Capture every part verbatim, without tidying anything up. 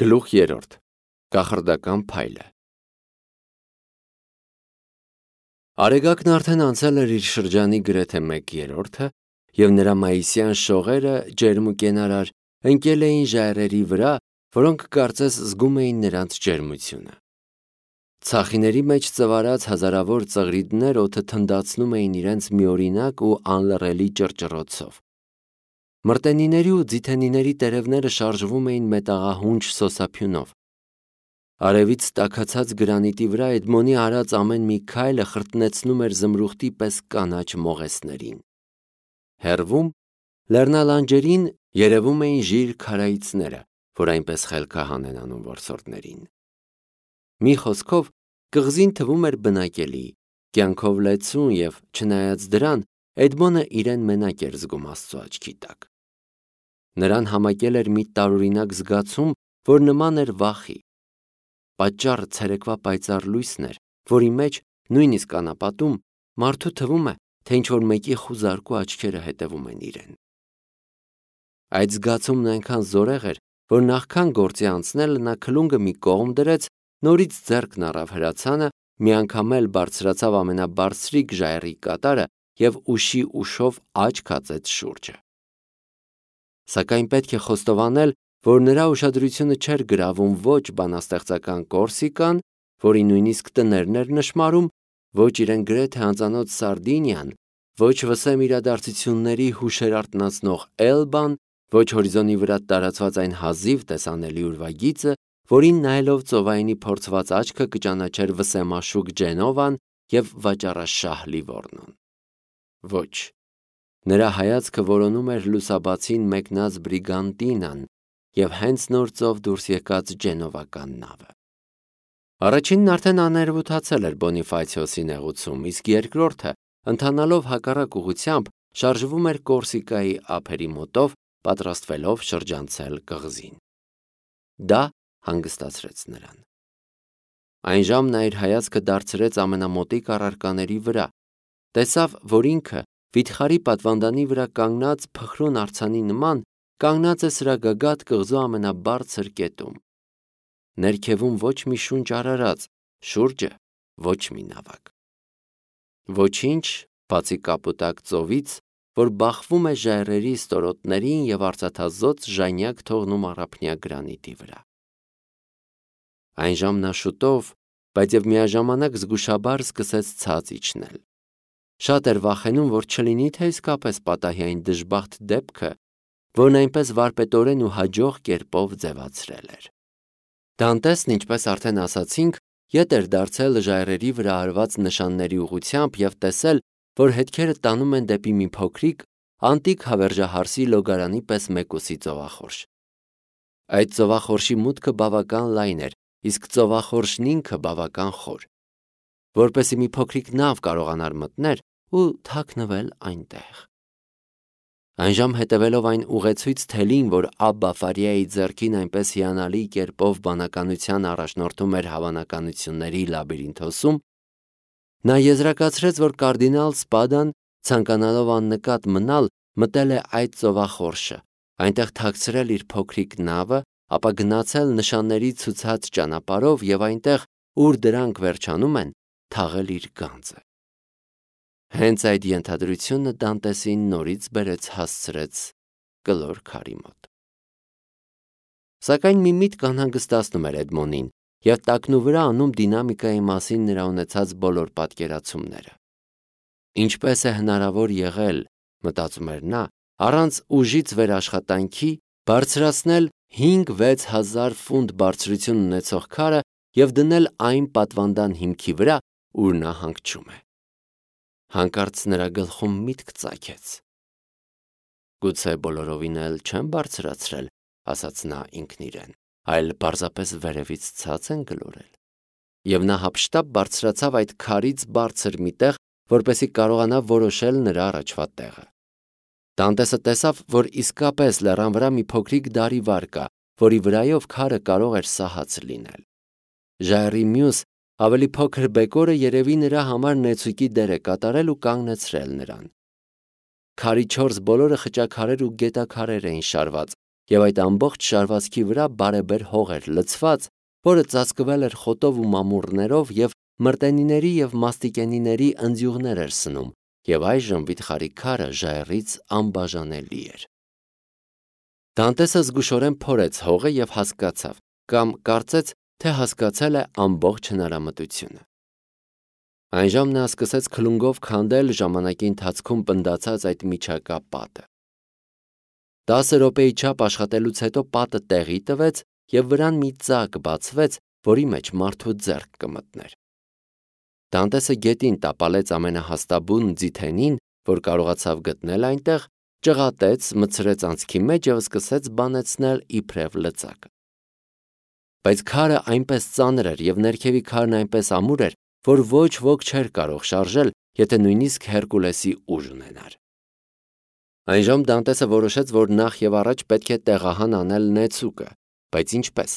Գլուխ երրորդ. Կախարդական փայլը։ Արեգակն արդեն անցել էր իր շրջանի գրեթե մեկ երրորդը, և նրա մայիսյան շողերը ջերմ ու կենարար ընկել էին ժայռերի վրա, որոնք կարծես զգում էին նրանց ջերմությունը։ Ցախիների մեջ ծվարած հազարավոր ծղրիդներ օդը թնդացնում էին իրենց միօրինակ ու անլռելի ճռճռոցով։ Մրտենիների ու ձիթենիների տերևները շարժվում էին մետաղահունչ սոսափյունով։ Արևից տաքացած գրանիտի վրա Էդմոնի արած ամեն մի քայլը խրտնեցնում էր զմրուխտի պես կանաչ մողեսներին։ Հեռվում, լեռնալանջերին երևում էին ժիր քարայծները, որ այնպես խելքահան են անում որսորդներին։ Մի խոսքով, կղզին թվում էր բնակելի, կյանքով լեցուն և, չնայած դրան, Էդմոնը իրեն մենակ էր զգում Աստծու աչքի տակ։ Նրան համակել էր մի տարօրինակ զգացում, որ նման էր վախի։ Պատճառը ցերեկվա պայծառ լույսն էր, որի մեջ, նույնիսկ անապատում, մարդու թվում է, թե ինչ-որ մեկի խուզարկու աչքերը հետևում են իրեն։ Այդ զգացումն այնքան զորեղ էր, որ նախքան գործի անցնելը նա քլունգը մի կողմ դրեց, նորից ձեռքն առավ հրացանը, մի անգամ էլ բարձրացավ ամենաբարձրիկ ժայռի կատարը և ուշի ուշով աչք հածեց շուրջը։ Սակայն պետք է խոստովանել, որ նրա ուշադրությունը չէր գրավում ոչ բանաստեղծական Կորսիկան, որի նույնիսկ տներն էր նշմարում, ոչ իրեն գրեթե անծանոթ Սարդինիան, ոչ վսեմ իրադարձությունների հուշեր արթնացնող Էլբան, ոչ հորիզոնի վրա տարածված այն հազիվ տեսանելի ուրվագիծը, որին նայելով ծովայինի փորձված աչքը կճանաչեր վսեմաշուկ Ջենովան և վաճառաշահ Լիվորնոն։ Ոչ, նրա հայացքը որոնում էր լուսաբացին մեկնած Բրիգանտինան և հենց նոր ծով դուրս եկած ջենովական նավը։ Առաջինն արդեն աներևութացել էր Բոնիֆացիոսի նեղուցում, իսկ երկրորդը, ընթանալով հակառակ ուղղությամբ, շարժվում էր Կորսիկայի ափերի մոտով, պատրաստվելով շրջանցել կղզին։ Դա հանգստացրեց նրան։ Այն ժամ նա իր հայացքը դարձրեց ամենամոտիկ առարկաների վրա, տեսավ, որ ինքը վիթխարի պատվանդանի վրա կանգնած փխրուն արձանի նման կանգնած է սրա գագաթ կղզու ամենաբարձր կետում։ Ներքևում ոչ մի շունչ արարած, շուրջը ոչ մի նավակ։ Ոչինչ, բացի կապուտակ ծովից, որ բախվում է ժայռերի ստորոտներին և արծաթազօծ ժանյակ թողնում առափնյա գրանիտի վրա։ Այն ժամ նա շուտով, բայց և միաժամանակ զգուշաբար սկսեց ցած իջնել։ Շատ էր վախենում, որ չլինի թե իսկապես պատահի այն դժբախտ դեպքը, որն այնպես վարպետորեն ու հաջող կերպով ձևացրել էր։ Դանտեսն, ինչպես արդեն ասացինք, ետ էր դարձել ժայռերի վրա արված նշանների ուղղությամբ և տեսել, որ հետքերը տանում են դեպի մի փոքրիկ, անտիկ հավերժահարսի լոգարանի պես մեկուսի ծովախորշ։ Այդ ծովախորշի մուտքը բավական լայն էր, իսկ ծովախորշն ինքը բավական խոր, որպեսզի մի փոքրիկ նավ կարողանար մտնել ու թաքնվել այնտեղ։ Այնժամ հետևելով այն ուղեցույց թելին, որ Աբբա Ֆարիայի ձեռքին այնպես հիանալի կերպով բանականության առաջնորդում էր հավանականությունների լաբիրինթոսում, նա եզրակացրեց, որ կարդինալ Սպադան, ցանկանալով աննկատ մնալ, մտել է այդ ծովախորշը, այնտեղ թաքցրել իր փոքրիկ նավը, ապա գնացել նշանների ցուցած ճանապարհով և այնտեղ, ուր դրանք վերջանում են, թաղել իր գանձը։ Հենց այդ ենթադրությունը Դանտեսին նորից բերեց հասցրեց կլոր քարի մոտ։ Սակայն մի միտք անհանգստացնում էր Էդմոնին և տակնու վրա անում դինամիկայի մասին նրա ունեցած բոլոր պատկերացումները։ Ինչպես է հնարավոր եղել, մտածում էր նա, առանց ուժից վերաշխատանքի բարձրացնել հինգ-վեց հազար ֆունտ բարձրություն ունեցող քարը և դնել այն պատվանդան հիմքի վրա, ուր նա հանգչում է։ Հանկարծ նրա գլխում միտք ծագեց։ Գուցե բոլորովին էլ չեմ բարձրացրել, ասաց նա ինքն իրեն, այլ պարզապես վերևից ցած են գլորել։ Եվ նա հափշտապ բարձրացավ այդ քարից բարձր մի տեղ, որպեսզի կարողանա որոշել նրա առաջվա տեղը։ Դանտեսը տեսավ, որ իսկապես լեռան վրա մի փոքրիկ դարիվար կա, որի վրայով քարը կարող էր սահած լինել։ Ժայռի մյուս, ավելի փոքր բեկորը երևի նրա համար նեցուկի դեր է կատարել ու կանգնեցրել նրան։ Քարի չորս բոլորը խճաքարեր ու գետաքարեր էին շարված, եւ այդ ամբողջ շարվածքի վրա բարեբեր հող էր լցված, որը ծածկվել էր խոտով ու մամուռներով եւ մրտենիների եւ մաստիկենիների ընձյուղներ էր սնում, եւ այժմ վիթխարի քարը ժայռից անբաժանելի էր։ Դանտեսը զգուշորեն փորեց հողը եւ հասկացավ, կամ կարծեց, թե հասկացել է ամբողջ հնարամտությունը։ Այնժամ նա սկսեց քլունգով քանդել ժամանակի ընթացքում պնդացած այդ միջակա պատը։ Տասը րոպեի չափ աշխատելուց հետո պատը տեղի տվեց եւ վրան մի ծակ բացվեց, որի մեջ մարդու ձեռք կմտներ։ Դանտեսը գետին տապալեց ամենահաստաբուն ձիթենին, որ կարողացավ գտնել այնտեղ, ճղատեց, մտցրեց անցքի մեջ եւ սկսեց բանեցնել իբրև լծակը։ Բայց քարը այնպես ծանր էր եւ ներքևի քարն այնպես ամուր էր, որ ոչ ոք չէր կարող շարժել, եթե նույնիսկ Հերկուլեսի ուժ ունենար։ Այնժամ Դանտեսը որոշեց, որ նախ եւ առաջ պետք է տեղահան անել նեցուկը, բայց ինչպես։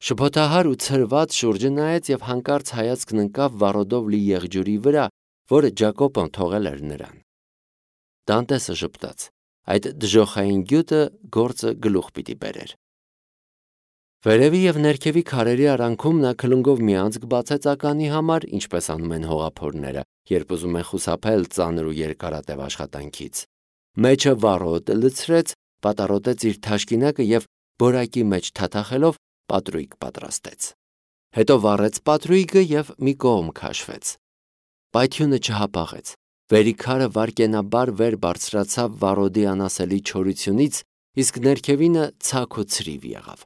Շփոթահար ու ցրված շուրջը նայեց եւ հանկարծ հայացքն ընկավ վառոդով լի եղջյուրի վրա, որը Ջակոբոն թողել էր նրան։ Դանտեսը ժպտաց. այդ դժոխային գյուտը գործը գլուխ պիտի բերեր։ Վերևի եւ ներքևի քարերի արանքում նա քլունգով մի անցք բացեց ականի համար, ինչպես անում են հողափորները, երբ ուզում են խուսափել ծանր ու երկարատև աշխատանքից։ Մեջը վառոդ լցրեց, պատառոտեց իր թաշկինակը եւ բորակի մեջ թաթախելով պատրույգ պատրաստեց։ Հետո վառեց պատրույգը եւ մի կողմ քաշվեց։ Պայթյունը չհապաղեց։ Վերի քարը վարկենաբար վեր բարձրացավ վառոդի անասելի չորությունից, իսկ ներքևինը ցակ ու ցրիվ եղավ։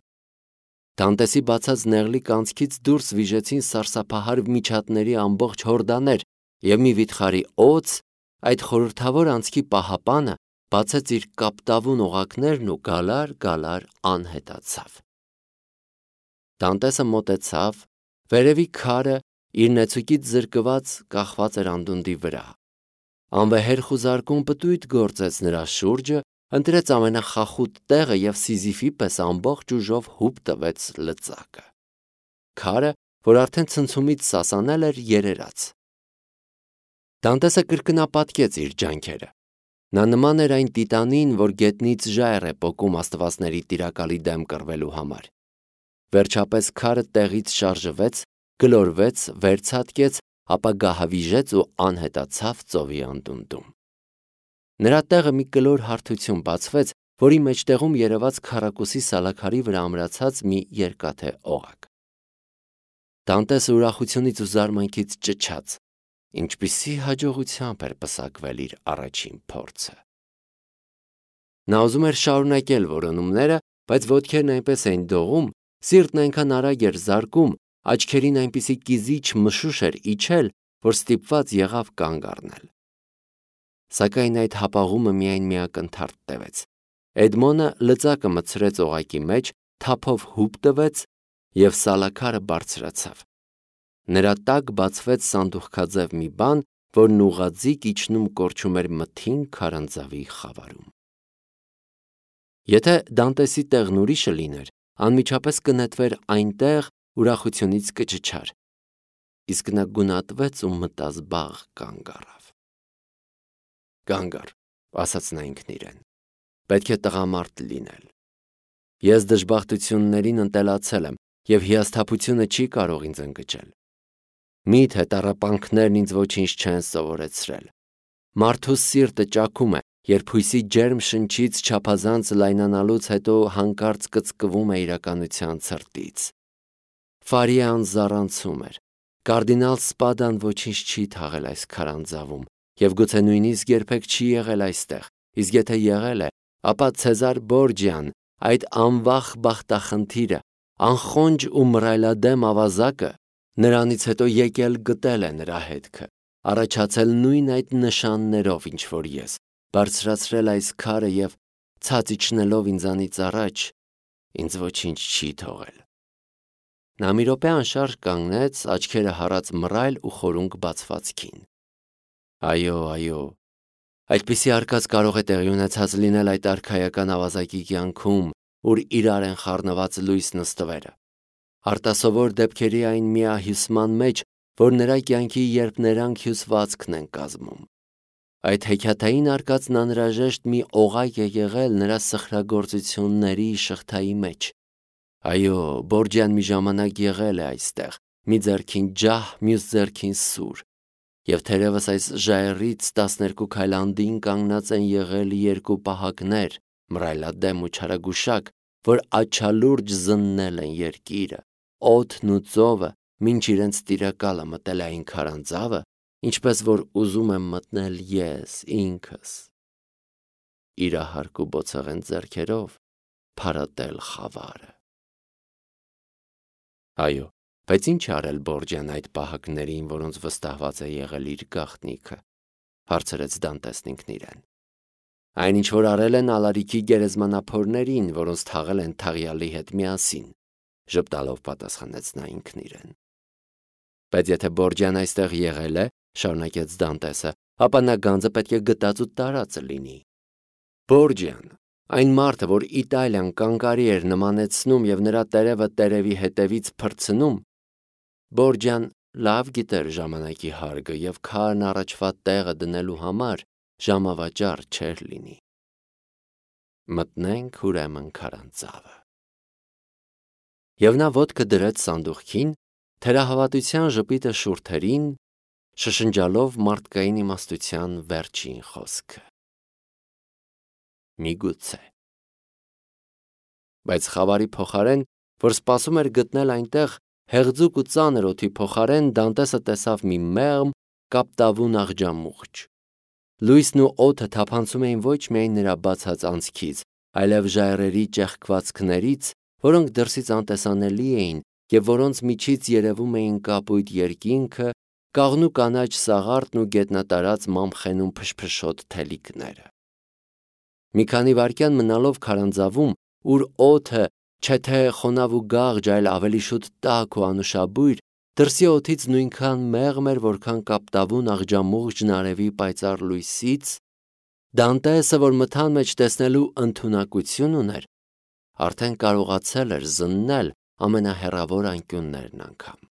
Դանտեսի բացած նեղլիկ անցքից դուրս վիժեցին սարսափահար միջատների ամբողջ հորդաներ, եւ մի վիթխարի օձ, այդ խորհրդավոր անցքի պահապանը, բացեց իր կապտավուն օղակներն ու գալար-գալար անհետացավ։ Դանտեսը մոտեցավ, վերևի քարը իր նեցուկից զրկված կախված էր անդունդի վրա։ Անվեհեր խուզարկում պտույտ գործեց նրա շուրջը, ընտրեց ամենախախուտ տեղը եւ Սիզիֆի պես ամբողջ ուժով հուպ տվեց լծակը։ Քարը, որ արդեն ցնցումից սասանել էր, երերաց։ Դանտեսը կրկնապատկեց իր ջանքերը։ Նա նման էր այն տիտանին, որ գետնից ժայռ է պոկում աստվածների տիրակալի դեմ կռվելու համար։ Վերջապես քարը տեղից շարժվեց, գլորվեց, վերցատկեց, ապա գահավիժեց ու անհետացավ ծովի անդունդում։ Նրա տեղը մի կլոր հարթություն բացվեց, որի մեջտեղում երևաց քառակուսի սալաքարի վրա ամրացած մի երկաթե օղակ։ Դանտեսը ուրախությունից ու զարմանքից ճչաց, ինչպիսի հաջողությամբ էր պսակվել իր առաջին փորձը։ Նա ուզում էր շարունակել որոնումները, բայց ոտքերն այնպես էին դողում, սիրտն այնքան արագ էր զարկում, աչքերին այնպիսի կիզիչ մշուշ էր իջել, որ ստիպված եղավ կանգ առնել։ Սակայն այդ հապաղումը միայն մի ակնթարթ տևեց։ Էդմոնը լծակը մտցրեց օղակի մեջ, թափով հուպ տվեց եւ սալաքարը բարձրացավ։ Նրա տակ բացվեց սանդուղքաձև մի բան, որն ուղղաձիգ իջնում կորչում էր մթին քարանձավի խավարում։ Եթե Դանտեսի տեղն ուրիշը լիներ, անմիջապես կնետվեր այնտեղ, ուրախությունից կճչար, իսկ նա գունատվեց ու մտազբաղ կանգ առավ։ Կանգ առ, ասաց նա ինքն իրեն, պետք է տղամարդ լինել։ Ես դժբախտություններին ընտելացել եմ եւ հիասթափությունը չի կարող ինձ ընկճել։ Միթե տառապանքներն ինձ ոչինչ չեն սովորեցրել։ Մարդու սիրտը ճաքում է, երբ հույսի ջերմ շնչից չափազանց լայնանալուց հետո հանկարծ կծկվում է իրականության ցրտից։ Ֆարիան զառանցում էր։ Կարդինալ Սպադան ոչինչ չի թաղել այս քարանձավում եւ գուցե նույնիսկ երբեք չի եղել այստեղ, իսկ եթե եղել է, ապա Ցեզար Բորջյան, այդ անվախ բախտախնդիրը, անխոնջ ու մռայլադեմ ավազակը, նրանից հետո եկել գտել է նրա հետքը, առաջացել նույն այդ նշաններով, ինչ որ ես, բարձրացրել այս քարը եւ ցած իջնելով ինձանից առաջ, ինձ ոչինչ չի թողել։ Նա մի րոպե անշարժ կանգնեց, աչքերը հառած մռայլ ու խորունկ բացվածքին։ Այո, այո, այդպիսի արկած կարող է տեղի ունեցած լինել այդ արքայական ավազակի կյանքում, ուր իրար են խառնված լույս նստվերը։ Արտասովոր դեպքերի այն միահյուսման մեջ, որ նրա կյանքի երբներանգ հյուսվածքն են կազմում։ Այդ հեքիաթային արկածն անհրաժեշտ մի օղակ է եղել նրա սխրագործությունների շղթայի մեջ։ Այո, Բորջյան մի ժամանակ եղել է այստեղ, մի ձեռքին ջահ, մյուս ձեռքին սուր, և թերևս այս ժայռից տասներկու քայլ անդին կանգնած են եղել երկու պահակներ, մռայլադեմ ու չարագուշակ, որ աջալուրջ զննել են երկիրը, օդն ու ծովը, մինչ իրենց տիրակալը մտել է այն քարանձավը, ինչպես որ ուզում եմ մտնել ես ինքս, իրահարկ ու բոցեղեն ձեռքերով փարատել խավարը։ Այո, բայց ինչ է արել Բորջյան այդ պահակներին, որոնց վստահված է եղել իր գաղտնիքը, հարցրեց Դանտեսն ինքն իրեն։ Այն ինչ որ արել են Ալարիքի գերեզմանափորներին, որոնց թաղել են Թաղյալի հետ միասին, ժպտալով պատասխանեց նա ինքն իրեն։ Բայց եթե Բորջյան այստեղ եղել է, շարունակեց Դանտեսը, ապա նա գանձը պետք է գտած ու տարածը լինի։ Բորջյան, այն մարդը, որ Իտալիան կանգարի էր նմանեցնում և նրա տերևը տերևի հետևից փրցնում, Բորջյան լավ գիտեր ժամանակի հարգը և քարն առաջվա տեղը դնելու համար ժամավաճառ չէր լինի։ Մտնենք ուրեմն քարանձավը։ Եվ նա ոտքը դրեց սանդուղքին, թերահավատության ժպիտը շուրթերին, շշնջալով մարդկային իմաստության վերջին խոսքը։ Միգուցե։ Բայց խավարի փոխարեն, որ սպասում էր գտնել այնտեղ հեղձուկ ու ծանր օդի փոխարեն, Դանտեսը տեսավ մի մեղմ, կապտավուն աղջամուղջ։ Լույսն ու օդը թափանցում էին ոչ միայն նրա բացած անցքից, այլև ժայռերի ճեղքվածքներից, որոնք դրսից անտեսանելի էին և որոնց միջից երևում էին կապույտ երկինքը, կաղնու կանաչ սաղարթն ու գետնատարած մամխենու փշփշոտ թելիկները։ Մի քանի վայրկյան մնալով քարանձավում, ուր օդը չէ թե խոնավ ու գաղջ, այլ ավելի շուտ տաք ու անուշաբույր, դրսի օդից նույնքան մեղմ էր, որքան կապտավուն աղջամուղջն արևի պայծառ լույսից, Դանտեսը, որ մթան մեջ տեսնելու ընդունակություն ուներ, արդեն կարողացել էր զննել ամենահեռավոր անկյուններն անգամ։